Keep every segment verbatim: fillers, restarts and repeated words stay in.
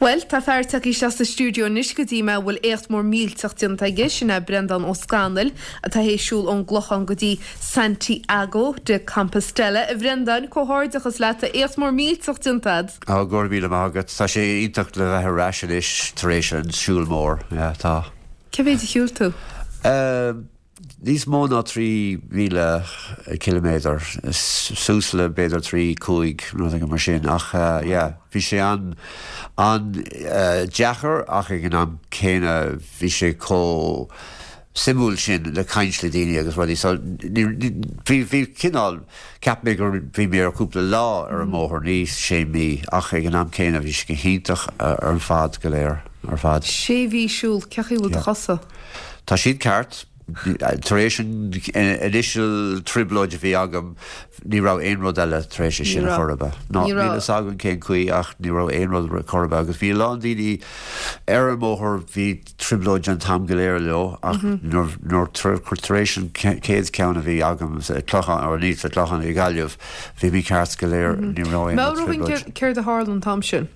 Well, tá fear tagtha isteach sa stiúideo anois go dtí mé a bhfuil éacht mór millteach déanta aige, sin é Breandán Ó Scanaill, atá théis siúl ón gClochán go dtí Santiago de Compostela. A Bhreandáin, comhghairdeachas leat, tá éacht mór millteach déanta agat. Á, go raibh míle maith agat. Tá sé iontach le bheith ar ais anois tar éis an siúl mór. Yeah, tá. Cé mhéid a shiúil tú? Um, níos mó ná trí mhíle ciliméadar, suas le b'fhéidir trí cúig nó mar sin ach uh, yeah, bhí sé an an uh, deacair ach ag an am céanna bhí sé chomh suimiúil sin le caint le daoine agus rudaí so bhí bhí cineál cheap mé gur bhí mé ar cúpla lá ar an mbóthar ní sé mí ach ag an am céanna bhí sé go hiontach uh, ar an fad go léir ar fad. Sé mhí siúil, cén chaoi bhfuil do chosa? Tá siad ceart tar éis an initial trioblóid a bhí agam ní raibh aon rud eile tar éis sin a chorba. Ná níl a fhios agam cén chaoi ach ní raibh aon rud chorba agus bhí lán daoine ar an mbóthar bhí trioblóid an t-am go léir leo ach nuair tar éis an chéad ceann a bhí agam Clochán ar ní sa Clochán i Gaillimh bhí mé ceart go léir ní raibh aon trioblóid. Céard a tharla an t-am sin?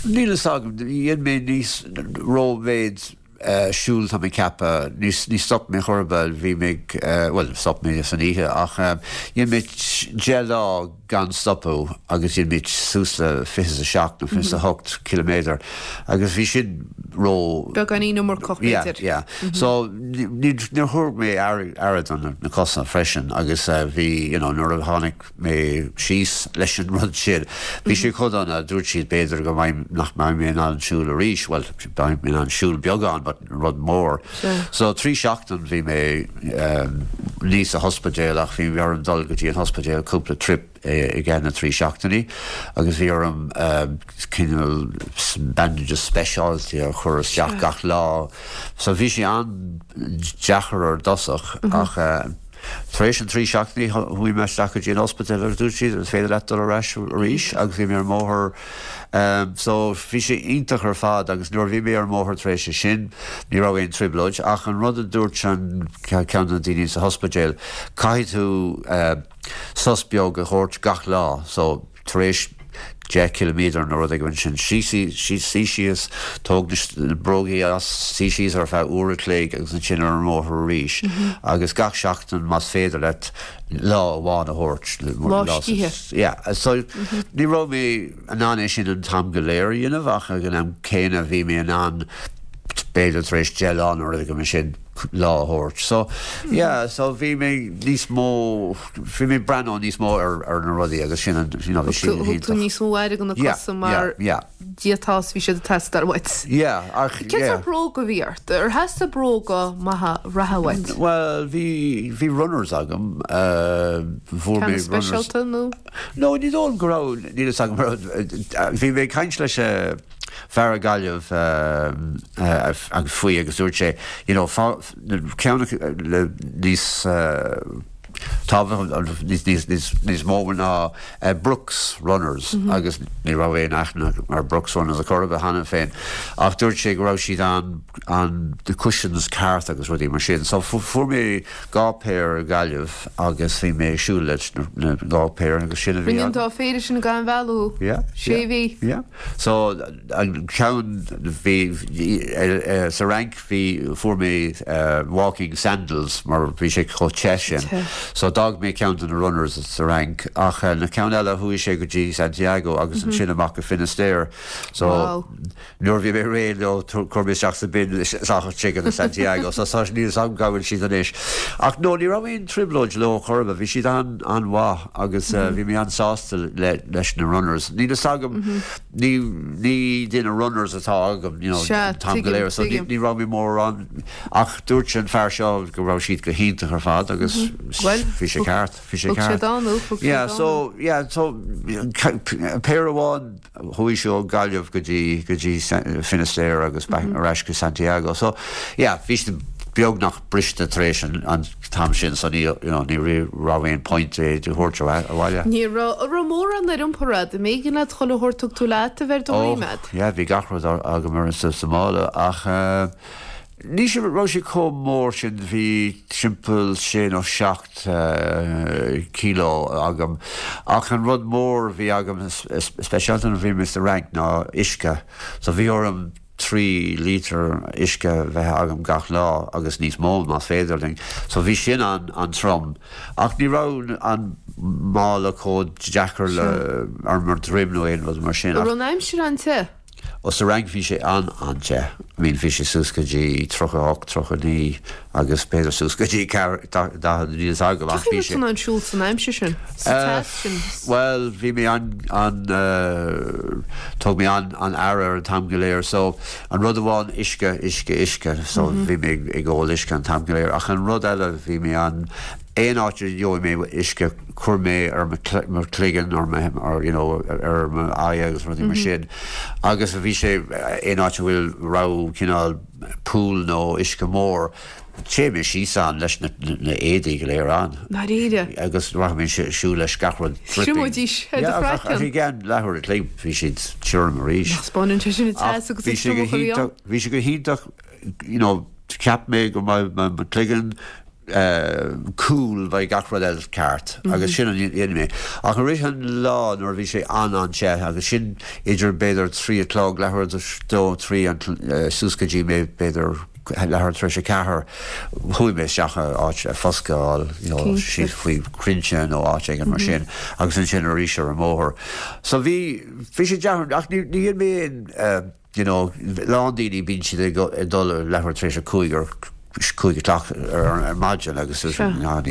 Níl a fhios agam dhein mé níos rómhéid Uh, siúl tá mé ceapadh ní ní stop mé chorba bhí mé uh, well stop mé san oíche ach um, dhein mé deich lá gan stopadh agus dhein mé suas le fiche a seacht nó fiche a hocht kilometer agus bhí sin ró Beagáinín iomarcach yeah, b'fhéidir. yeah. So ní níor thug mé aire don na cosa freisin agus uh, bhí you know, nuair a tháinig mé síos leis an rud sin. Bhí sé chomh dona dúirt siad b'fhéidir go mbeidh nach mbeidh mé in ann siúl arís, well beidh mé in ann siúl beagán, but rud mór. So trí seachtain bhí mé um, ní sa ospidéal ach bhí orm dul go dtí an ospidéal cúpla trip i gceann na trí seachtainí agus bhí orm um, cineál bandages speisialta a chur isteach gach lá. So bhí sé an-deacair ar dtosach ach uh, Tar éis an trí seachtainí chuaigh mé isteach go dtí an ospidéal agus dúirt siad is féidir leat dul ar ais arís agus bhí mé ar an mbóthar um, so bhí sé iontach ar fad agus nuair bhí mé ar an mbóthar tar éis sin ní raibh aon trioblóid ach an rud a dúirt an ceann na daoine sa ospidéal caithfidh tú uh, sos beag a thabhairt gach lá so tar éis deich kilometer nó rud éigin sin sí sí síos tóg na brógaí as suí síos ar feadh uair a chloig agus ansin ar an mbóthar arís agus gach seachtain más féidir leat lá amháin a thabhairt Lá scíthe. Yeah, so ní raibh mé in ann é sin an t-am go léir a dhéanamh ach ag an am céanna bhí mé in ann b'fhéidir tar éis deich lá nó rud éigin sin lá a thabhairt. So yeah, so bhí mé níos mó bhí mé breathnú níos mó ar ar na rudaí agus sin an you know, bhí sin Thug tú níos mó aire do na cosa mar yeah, d'fhéadfadh bhí siad ag teastáil uait. yeah, ach Cén yeah. bróga bhí ort? Ar theastaigh bróga maithe reatha uait? Well, bhí bhí runners agam uh, fuair mé Ceann runners. speisialta nó? No, ní dóigh go raibh níl a fhios agam bhí mé ag caint leis uh, fear i Gaillimh uh, uh, agus faoi agus dúirt sé you know, ceann le níos uh, tábhacht níos níos níos níos mó ná uh, Brooks Runners mm -hmm. agus ní raibh aon aithne mar Brooks Runners a chorba cheana féin ach dúirt sé go raibh siad an an the cushions ceart agus rudaí mar sin so fuair mé dhá péir Gaillimh agus bhí mé siúl leis na dhá péir agus sin a bhí Rinne an dá phéire sin gan mhoill? Yeah, Sé mhí? Yeah. So an ceann bhí uh, sa Fhrainc bhí fuair mé uh, walking sandals mar bhí sé chomh te sin. So d'fhág mé ceann de na runners sa Fhrainc ach uh, na ceann eile chuaigh sé go dtí Santiago agus mm -hmm. ansin amach go Finisterre. So Wow. nuair bhí mé réidh leo chuir mé isteach sa bin sé go Santiago, so tá níl am go bhfuil siad anois. Ach no ní raibh aon trioblóid leo chorba, bhí siad an an-mhaith agus uh, bhí mé an-sásta le, leis na runners. Níl a fhios agam ní ní duine runners atá agam you know, Sea, tam go léir, so ní tuigim. ní raibh mé mór an ach dúirt an fear seo go raibh siad go hiontach ar fad agus Well, bhí sé ceart, bhí sé Thug sé ceart. dánú, thug sé Yeah, dánú. so yeah, so péir amháin chuaigh sé ó Gaillimh go dtí go dtí Finisterre agus back ar ais go Santiago. So yeah, bhí siad beagnach briste tar éis an, an t-am sin so ní you know, ní raibh aon point é do thabhairt abhaile. Ní raibh raibh mórán ar iompar agat, an mb'éigean leat chuile shórt thug tú leat a bheith do ríméad. yeah, bhí gach rud agam ar sa sa mála ach uh, Ní sé raibh sé chomh mór sin bhí timpeall sé nó seacht uh, kilo agam ach an rud mór bhí agam speisialta a bhí mé sa Fhrainc ná uisce so bhí orm trí líter uisce bheith agam gach lá agus níos mó más féidir linn. So bhí sin an an trom. Ach ní raibh an mála chomh deacair le ar mo dhroim nó aon rud mar sin. An raibh an aimsir an-te? Ó sa Fhrainc bhí sé an an-te. I mean bhí sé suas go dtí tríocha hocht tríocha naoi agus b'fhéidir suas go dtí daichead níos agam ach bhí sé. an siúl san aimsir sin? Uh, well bhí mé an an uh, thug mé an an aire an t-am go léir so an rud amháin uisce uisce uisce so mm -hmm. bhí mé ag ól uisce an t-am go léir ach an rud eile bhí mé an aon áit a gheobhaidh mé uisce chuir mé ar mo chloigeann ar ar you know ar m'aghaidh agus rudaí mar sin agus bhí sé aon áit a bhfuil raibh cineál pool nó uisce mór Téim mé síos ann leis na na éadaí go léir ann. Dáiríre. Agus raibh mé siúl leis gach rud Siúdís Bhí gan leathuair a chloig bhí siad tirim arís. Spáann sé sin agus Bhí sé go hiontach bhí sé go hiontach you know cheap mé go mbeidh mo chloigeann uh, cool bheidh gach rud eile ceart mm -hmm. agus sin an dhéan mé. Ach arís an lá nuair bhí sé an an-te agus sin idir b'fhéidir trí a chlog leathuair dó trí an uh, suas go dtí mé b'fhéidir leathuair tar éis a ceathair chuaigh mé isteach áit foscadh you know, síos faoi crainnte nó áit éigin mar sin agus ansin arís ar an mbóthar. So bhí bhí sé deacair ach ní ní mé uh, you know, lán daoine bíonn siad ag dul leathuair tar éis a cúig ar cúig a chlog ar ar maidin agus ní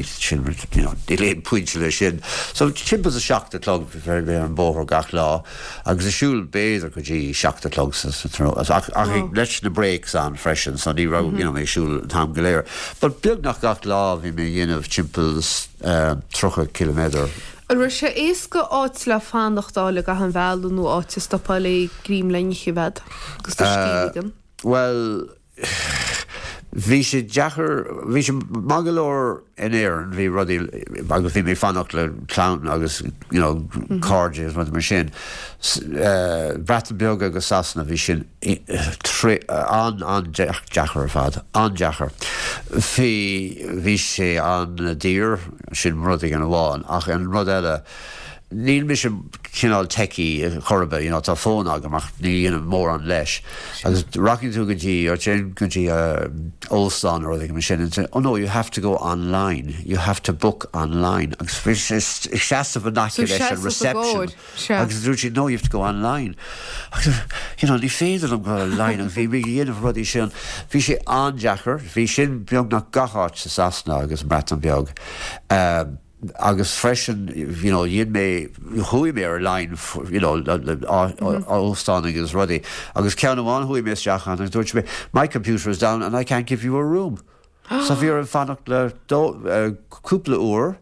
sin níl aon pointe le sin. So timpeall a seacht a chlog bhí mé ar an bóthar gach lá agus ag siúl b'fhéidir go dtí seacht a chlog ach leis na breaks ann freisin, so ní raibh you know, mé siúl an t-am go léir. But beagnach gach lá bhí mé dhéanamh timpeall tríocha kilometer. An raibh sé éasca áit le fanacht le gach an bhealach nó áit a stopáil le greim le n-ithe bhead agus uh, Well bhí sé deacair bhí sé maith go leor in Éirinn bhí rudaí agus bhí mé fanacht le clann agus you know, mm -hmm. cairde rud mar sin. Uh, Breatain Bheag agus Sasana bhí sin an an deacair ar fad an-deacair. Bhí bhí sé an-daor sin rud an amháin ach an rud eile Níl mise cineál techy chorba, you know, tá fón agam ach ní dhéanaim mórán leis. Agus rachaidh tú go dtí or téim go dtí uh, óstán or rud mar sin and say, oh no, you have to go online. You have to book online. Agus bhí sé seasamh an aice leis an reception. Agus dúirt siad, no, you have to go online. Agus, you know, ní féidir liom go online agus bhí mé dhéanamh rudaí sin. Bhí sé an-deacair, bhí sin beagnach gach áit sa Sasana agus Breatain Bheag. Um, agus freisin you know dhéan mé chuaigh mé ar line you know óstán agus rudaí agus ceann amháin chuaigh mé isteach ann agus dúirt mé my computer is down and I can't give you a room. So bhí orm fanacht le uh, cúpla uair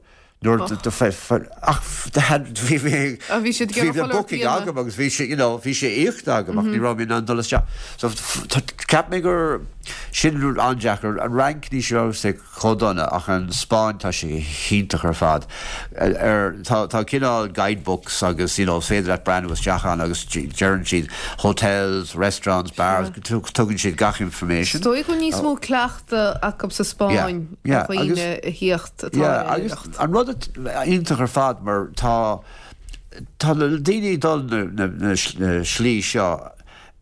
nuair ach bhí bhí siad bhí booking agam agus bhí sé you know bhí sé íoctha agam ach ní raibh mé in ann dul isteach. So cheap mé gur sin an-deacair an Fhrainc ní raibh sé chomh dona ach an Spáinn tá sé hiontach ar fad. Ar tá tá cineál guidebooks agus you know féidir leat breathnú isteach ann agus deireann siad hotels, restaurants, bars, tugann siad gach information. Is dóigh go níos mó cleachta acu sa Spáinn Yeah, a agus- dhaoine a thíocht atá Yeah, ar agus oidhreacht. an rud iontach ar fad mar tá tá na daoine dul na, na, na, na slí seo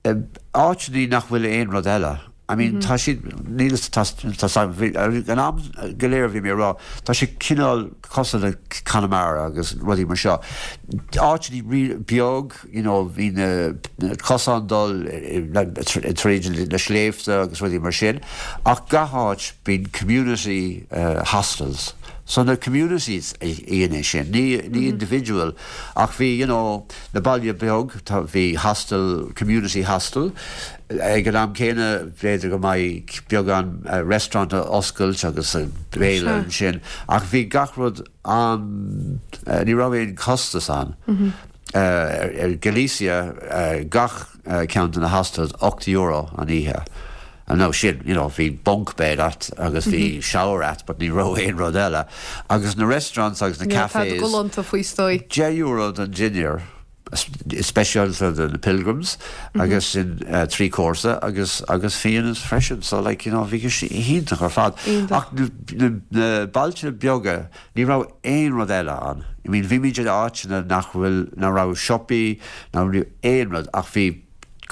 áiteanna nach bhfuil aon rud eile. I mean tá siad níl tá tá an am go léir bhí mé rá tá sé cineál cosúil le Conamara agus rudaí mar seo. Áiteanna beag you know, bhí na cosáin dul tríd na sléibhte agus rudaí mar sin, ach gach áit bíonn community uh, hostels. So na communities íana sin, ní, ní individual, ach bhí you know, na baile beag tá bhí hostel, community hostel, ag an am céanna b'fhéidir go mbeidh beagán uh, restaurant a oscailt agus uh, béile Sure. ansin, ach bhí gach rud an uh, ní raibh aon costas ann. Mm -hmm. Uh, ar, ar Galicia uh, gach uh, ceann de na hostels ocht euro an oíche. And no sin, you know, bhí bunk bed agat agus bhí mm -hmm. shower agat, but ní raibh aon rud eile. Agus na restaurants agus na Tá cafés golanta faoi stoi. deich euro don dinnéar speisialta do na pilgrims agus sin uh, trí cúrsa agus agus fíon freisin so like you know bhí sé iontach ar fad ach na bailte beaga ní raibh aon rud eile ann. I mean bhí muid in áiteanna nach bhfuil na raibh siopaí ná aon rud ach bhí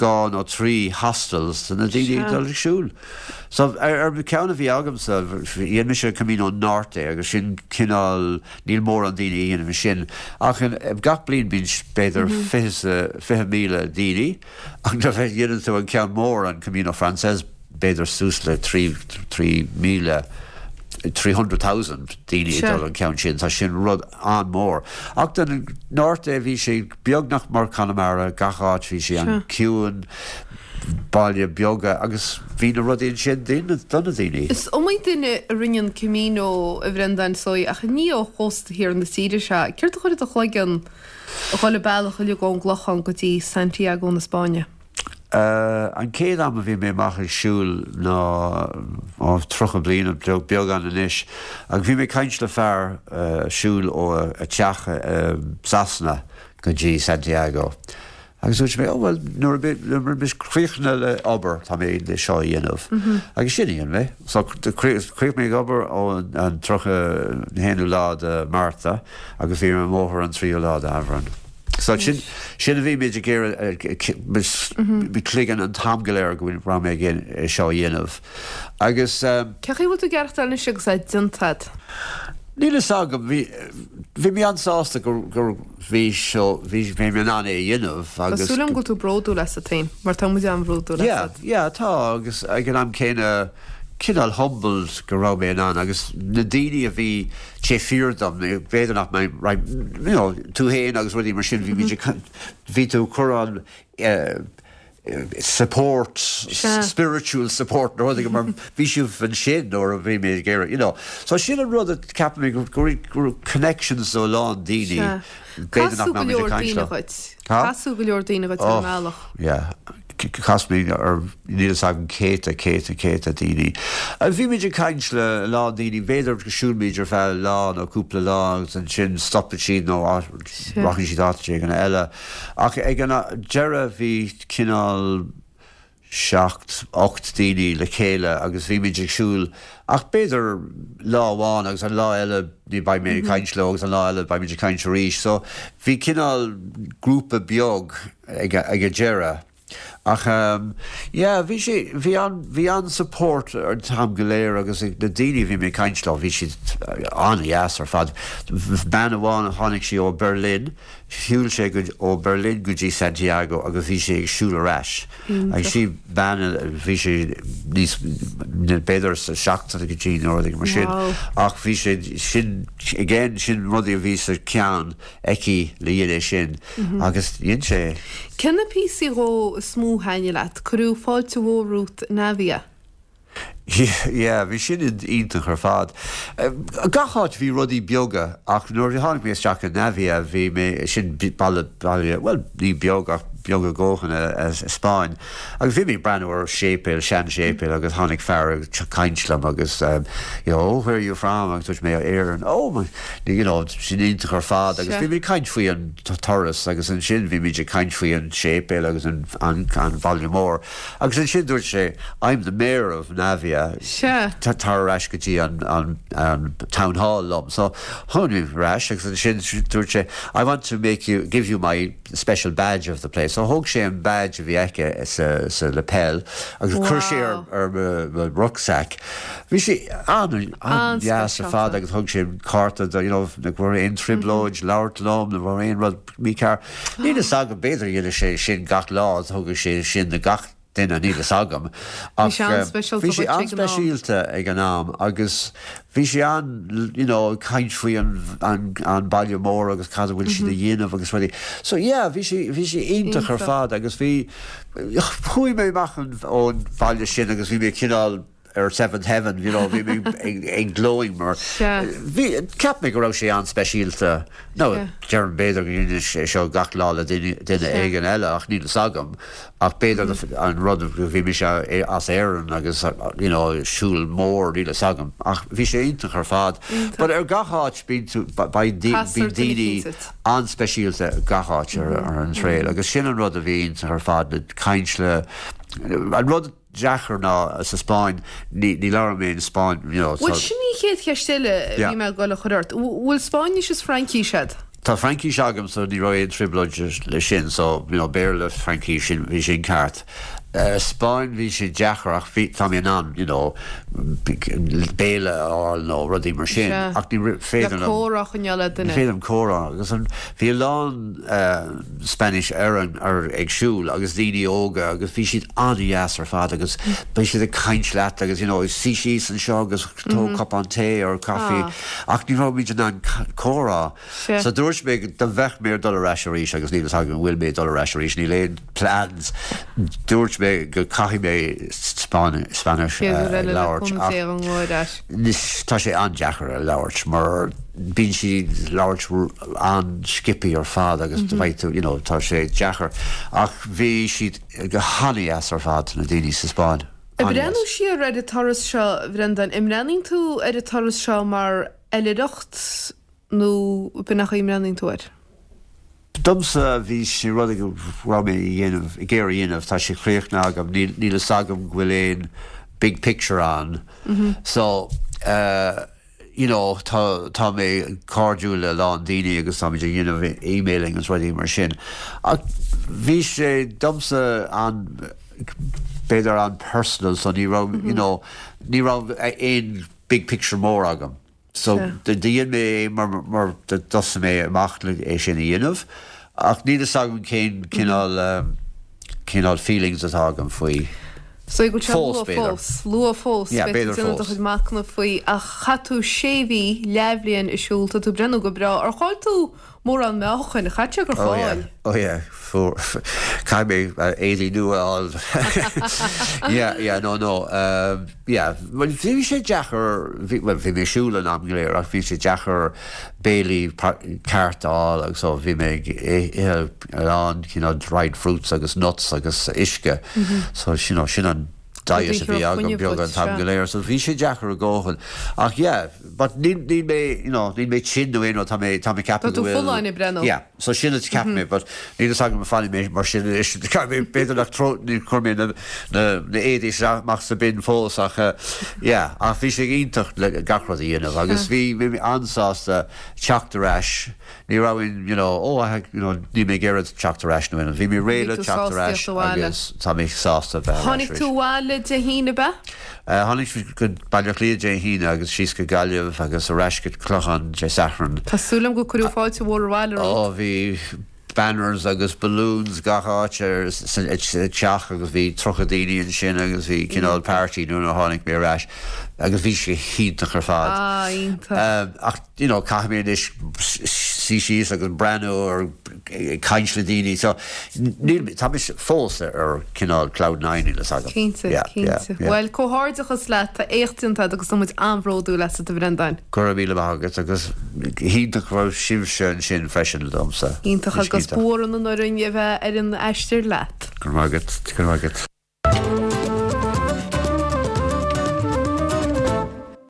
dhá nó trí hostels na daoine dul ag siúl. So ar ar ceann a bhí agamsa dhein mise Camino Norte agus sin cineál níl mórán daoine a dhéanann sin ach gach bliain bíonn b'fhéidir fiche míle daoine ach nuair a dhéanann tú an ceann mór an Camino Frances b'fhéidir suas le trí trí míle three hundred thousand daoine ag dul an ceann sin tá sin rud an-mhór. Ach den Norte bhí sé beagnach mar Conamara gach áit bhí sé an-chiúin baile beaga agus bhí na rudaí sin do na daoine. Is iomaí duine a rinne an Camino a Bhrendáin sói ach ní ó chósta thiar na tíre seo. Céard a chuir i do chloigeann a dhul an bealach uilig ón gClochán go dtí Santiago na Spáinne? Uh, an chéad am a bhí mé amach ag siúl ná tríocha bliain beagán anois, agus bhí mé caint le fear uh, siúl ó a teach uh, Sasana go dtí Santiago. Agus dúirt mé oh, well nuair a bheidh críochnaithe le obair tá mé le seo a dhéanamh. Mm -hmm. Agus sin a dhein mé so chríochnaigh mé ag obair ó an tríocha haonú lá de Márta agus bhí mé ar an mbóthar an tríú lá de Aibreán. So sin sin a bhí mé ag iarraidh cloigeann an t-am go léir go raibh mé ag seo a dhéanamh. Agus Cé chaoi bhfuil tú ag aireachtáil anois agus é déanta agat? Níl a fhios agam bhí mé an-sásta gur gur bhí seo bhí mé in ann é a dhéanamh agus Tá súil agam go bhfuil tú bródúil asat féin mar tá muid an-bhródúil asat. Yeah, yeah, tá agus ag an am céanna cineál humbled go raibh mé in ann agus na daoine a bhí taobh thiar dom b'fhéidir nach mbeidh right, you know, tú féin agus rudaí mar sin bhí bhí tú cur an uh, support spiritual support nó rudaí mar bhí sibh ansin nuair a bhí mé ag iarraidh you know. So sin an rud a ceapaim go go connections ó lán daoine b'fhéidir nach mbeidh mé ag caint leo. Casadh go leor daoine dhuit ar an mbealach. Yeah. Chas mé ar níl a fhios agam céadta céadta céadta daoine. Bhí muid ag caint le a lán daoine, b'fhéidir go siúlfaimid ar feadh lá nó cúpla lá agus ansin stopfaidh siad nó rachaidh siad áit éigin eile. Ach ag an deireadh bhí cineál seacht, ocht daoine le chéile agus bhí muid ag siúl ach b'fhéidir lá amháin agus an lá eile ní beidh mé ag caint leo agus an lá eile beidh muid ag caint arís. So bhí cineál grúpa beag ag ag an deireadh. Ach um, yeah, bhí sé bhí an bhí an support an t-am go léir agus na daoine bhí mé ag caint leo bhí siad an-deas ar fad. Bean amháin a tháinig sí ó Berlin, shiúil sé go ó Berlin go dtí Santiago agus bhí sé ag siúl ar ais. Agus sí bean bhí sé níos b'fhéidir sa seachtóidí nó rudaí mar sin. Ach bhí sé sin again sin rudaí a bhí sa ceann aici le dhéanamh sin agus dhein sé. Cé na píosaí dhó is mó a thaitnigh leat? Cuireadh fáilte mhór romhat in Navia. Yeah, bhí sin iontach ar fad. Gach áit bhí rudaí beaga ach nuair a tháinig mé isteach in Navia bhí mé sin baile baile well ní beag ach beag a dhóthain i Spáinn. Agus bhí mé ag breathnú ar séipéal, seanséipéal agus tháinig fear ag caint liom agus you know, oh, where are you from? Agus dúirt mé Éirinn. Oh, my, you know, sin iontach ar fad agus bhí mé ag caint faoi an turas agus ansin bhí muid ag caint faoi an séipéal agus an an an bhaile mór. Agus ansin dúirt sé, I'm the mayor of Navia. Sea. Tar ar ais go dtí an an an town hall liom. So tháinig ar ais agus ansin dúirt sé, I want to make you give you my special badge of the place. So thóg sé an badge a bhí aici sa sa lapel agus chuir sé ar ar mo rucksack. Bhí sé an an-deas ar fad agus thug sé cárta do you know nach bhfuair aon trioblóid labhairt liom, nach bhfuair aon rud mícheart. Níl a fhios agam b'fhéidir dhéanadh sé sin gach lá, thugadh sé sin do gach duine níl a fhios agam. Bhí sé an-speisialta Bhí sé an-speisialta ag an am agus bhí sé an you know, caint faoi an, an, an baile mór agus cad a bhfuil siad a dhéanamh agus rudaí. So yeah, bhí sé bhí sé iontach ar fad agus bhí chuaigh mé amach ón bhaile sin agus bhí mé cineál ar seventh heaven, you know, bhí mé ag, ag glowing mar bhí cheap mé go raibh sé an-speisialta no deirim b'fhéidir go ndéanann sé seo gach lá le duine duine éigin eile ach níl fhios agam ach b'fhéidir an rud go bhí mise as Éirinn agus you know, siúl mór níl fhios agam ach bhí sé iontach ar fad. But ar gach áit bíonn tú beidh bíonn daoine an-speisialta gach áit ar, ar an trail agus sin an rud a bhí iontach ar fad le caint le an rud deacair ná sa Spáinn ní ní labhraím mé in Spáinn you know, Bhuel sin í chéad cheist eile bhí mé ag dul a chur ort. Bhfuil Spáinnis is Fraincis agat? Tá Fraincis agam so ní raibh aon trioblóid le sin so you know, Béarla Fraincis sin bhí sin ceart. Uh, Spáinn bhí sé deacair ach bhí tá mé in ann you know, béile a fháil nó rudaí mar sin ach ní féidir Le comhrá a choinneáil le duine. Féidir comhrá agus an bhí a lán uh, Spanish ar an ar ag siúl agus daoine óga agus bhí siad an-deas ar fad agus bhí siad ag caint leat agus you know, suigh síos anseo agus tóg cupán tae or caife ach ní raibh muid in ann comhrá. So dúirt mé dá mbeadh mé dul ar ais arís agus níl agam bhfuil mé dul ar ais arís níl aon plans. Dúirt mé go caithfidh mé Spanish uh, labhairt Tá sé an-deacair a labhairt mar bíonn siad labhairt an-sciobtha ar fad agus mm -hmm. tú you know, tá sé deacair ach bhí siad go han-deas ar fad na daoine sa Spáinn. Ag breathnú siar ar an turas seo Bhrendan, an mbreathnaíonn tú ar an turas seo mar oilithreacht nó b'in nach mbreathnaíonn tú air? Domsa bhí sé rud go raibh mé dhéanamh ag iarraidh dhéanamh tá sé críochnaithe agam níl fhios agam go bhfuil aon big picture ann. Mm -hmm. So uh, you know, tá tá mé cairdiúil le lán daoine agus tá ag dhéanamh emailing agus rudaí mar sin. Ach bhí sé domsa an b'fhéidir an personal so ní raibh mm -hmm. you know, ní raibh aon big picture mór agam. So dhéan mé mar mar thosaigh mé amach le é sin a dhéanamh ach níl fhios agam cén cineál um, cineál feelings atá agam faoi. So go fós fós luath fós b'fhéidir fós machnamh faoi ach chaith tú sé mhí leathbhliain ag siúl tá tú breathnú go breá ar chaill tú mórán meáchain chaith gur fáil. Oh yeah Caithfidh mé éadaí nua a fháil yeah yeah no no um, yeah well bhí sé deacair well bhí mé siúl an am go léir ach bhí sé deacair béilí ceart a fháil agus so bhí mé an you know dried fruits agus nuts agus uisce mm -hmm. so you know, sin an diet a bhí agam beag an t-am go léir so bhí sé deacair a dhóthain ach yeah but ní ní mé you know ní mé sin nó aon tá mé tá mé ceapadh tú folláin breathnú yeah so sin ceap mé but ní agam fanfaidh mé mar sin b'fhéidir nach tro ní chuir mé na na na éadaí amach sa bin fós ach uh, yeah ach bhí sé iontach le gach rud a dhéanamh agus bhí mé an-sásta teacht ar ais ní raibh you know oh I you know ní mé ag iarraidh teacht ar ais nó bhí mé réidh le teacht ar ais agus tá mé sásta bheith Tháinig tú abhaile Dé hAoine be? Tháinig go Baile Átha Cliath Dé hAoine agus síos go Gaillimh agus ar ais go Clochán Dé Sathairn. Tá súil agam gur cuireadh fáilte mhór abhaile Ó bhí banners agus balloons gach áit ar teach agus bhí tríocha daoine ansin agus bhí cineál party nuair a tháinig mé ar ais agus bhí sé iontach ar fad. Ah, iontach. Ach you know caithfidh mé anois suí síos agus breathnú ar caint le daoine so níl tá mé fós ar cineál cloud nine le agam. Cinnte, cinnte. Well comhghairdeachas leat tá éacht déanta agus tá muid an-bhródúil asat a Bhrendáin. Go raibh míle maith agat agus iontach raibh sibhse ansin freisin domsa. Iontach agus b'fhórann an orainn a bheith ar an aistear leat. Go raibh maith agat, go raibh maith agat.